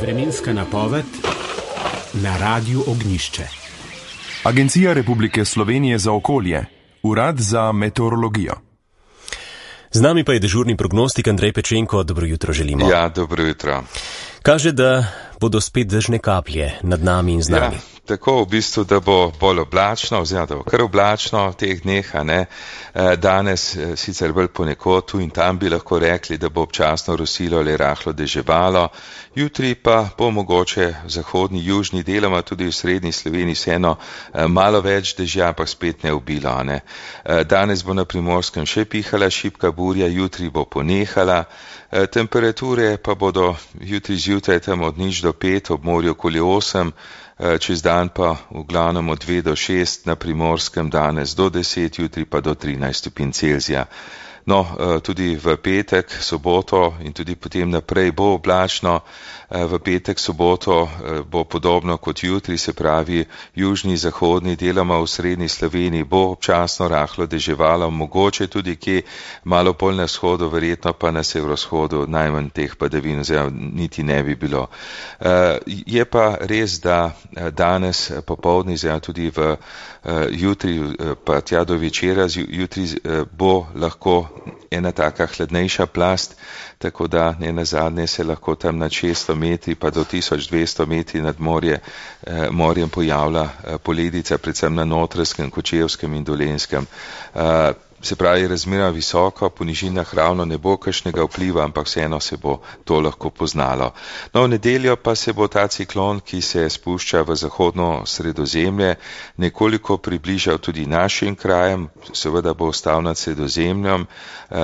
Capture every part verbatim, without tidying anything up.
Vremenska napoved na Radiu Ognjišče. Agencija Republike Slovenije za okolje, Urad za meteorologijo. Z nami pa je dežurni prognostik Andrej Pečenko. Dobro jutro želimo. Ja, dobro jutro. Kaže, da bodo spet dežne kaplje nad nami in z nami. Ja, tako v bistvu, da bo bolj oblačno, oziroma da bo kar oblačno v teh dneh, a ne. Danes sicer bolj ponekod, tu in tam bi lahko rekli, da bo občasno rosilo ali rahlo deževalo. Jutri pa bo mogoče v zahodni, južni deloma tudi v srednji Sloveniji vseeno malo več dežja, ampak spet ne obilo, a ne. Danes bo na Primorskem še pihala šibka burja, jutri bo ponehala. Temperature pa bodo jutri zjutraj tam od nič do pet, ob morju okoli osem, čez dan pa v glavnem od dve do šest, na Primorskem danes do deset, jutri pa do trinajst stopinj Celzija. No, tudi v petek, soboto in tudi potem naprej bo oblačno. V petek, soboto bo podobno kot jutri, se pravi južni, zahodni, deloma v srednji Sloveniji bo občasno rahlo deževalo, mogoče tudi kje malo bolj na vzhodu, verjetno pa na severovzhodu najmanj teh padavin, oziroma niti ne bi bilo. Je pa res, da danes popoldne, oziroma tudi v jutri, pa tja do večera, jutri bo lahko ena taka hladnejša plast, tako da ne nazadnje se lahko tam nad šeststo metri pa do tisoč dvesto metri nad morje, eh, morjem pojavlja eh, poledica, predvsem na Notranjskem, Kočevskem in Dolenjskem. Eh, Se pravi, razmeroma visoko, po nižinah ravno ne bo kakšnega vpliva, ampak vseeno se bo to lahko poznalo. No, v nedeljo pa se bo ta ciklon, ki se spušča v zahodno Sredozemlje, nekoliko približal tudi našim krajem, seveda bo ostal nad Sredozemljem,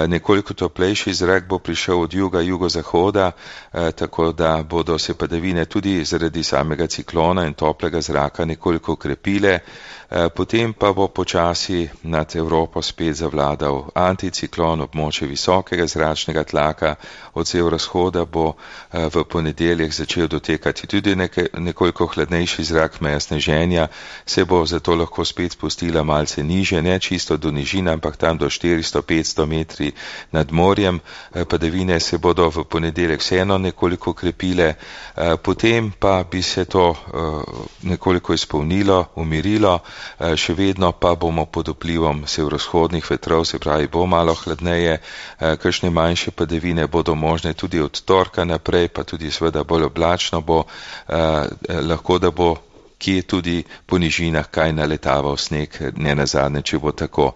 nekoliko toplejši zrak bo prišel od juga, jugozahoda, tako da bodo se padavine tudi zaradi samega ciklona in toplega zraka nekoliko krepile, potem pa bo počasi nad Evropo spet zavladal anticiklon, območje visokega zračnega tlaka, od severovzhoda bo v ponedeljek začel dotekati tudi nekaj, nekoliko hladnejši zrak, meja sneženja, se bo zato lahko spet spustila malce niže, ne čisto do nižine, ampak tam do štiristo do petsto metri nad morjem. Padavine se bodo v ponedeljek vseeno nekoliko krepile, potem pa bi se to nekoliko izpolnilo, umirilo, še vedno pa bomo pod vplivom severovzhodnih vetrov, se pravi bo malo hladneje, kakšne manjše padavine bodo možne tudi od torka naprej, pa tudi seveda bolj oblačno bo, lahko da bo kje tudi po nižinah kaj naletaval sneg, ne nazadnje, če bo tako.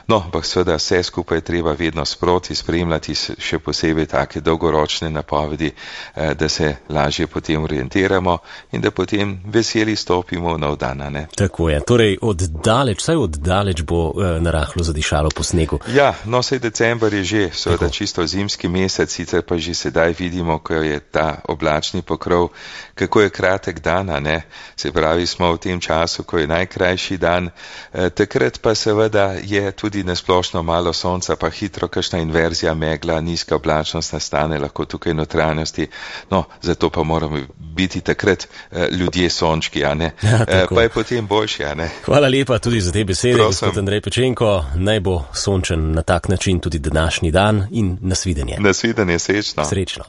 No, ampak seveda vse skupaj treba vedno sproti spremljati, še posebej take dolgoročne napovedi, da se lažje potem orientiramo in da potem veseli stopimo v nov dan, ne? Tako je, torej od daleč, vsaj od daleč bo eh, narahlo zadišalo po snegu. Ja, no, sej december je že, seveda čisto zimski mesec, sicer pa že sedaj vidimo, ko je ta oblačni pokrov, kako je kratek dan, ne? Se pravi, smo v tem času, ko je najkrajši dan, eh, takrat pa seveda je tudi nasplošno malo sonca, pa hitro kakšna inverzija megla, nizka oblačnost nastane lahko tukaj notranjosti, no, zato pa moramo biti takrat eh, ljudje sončki, a ne, ja, eh, pa je potem boljši, a ne. Hvala lepa tudi za te besede, gospod Andrej Pečenko, naj bo sončen na tak način tudi današnji dan in nasvidenje. Nasvidenje, srečno. Srečno.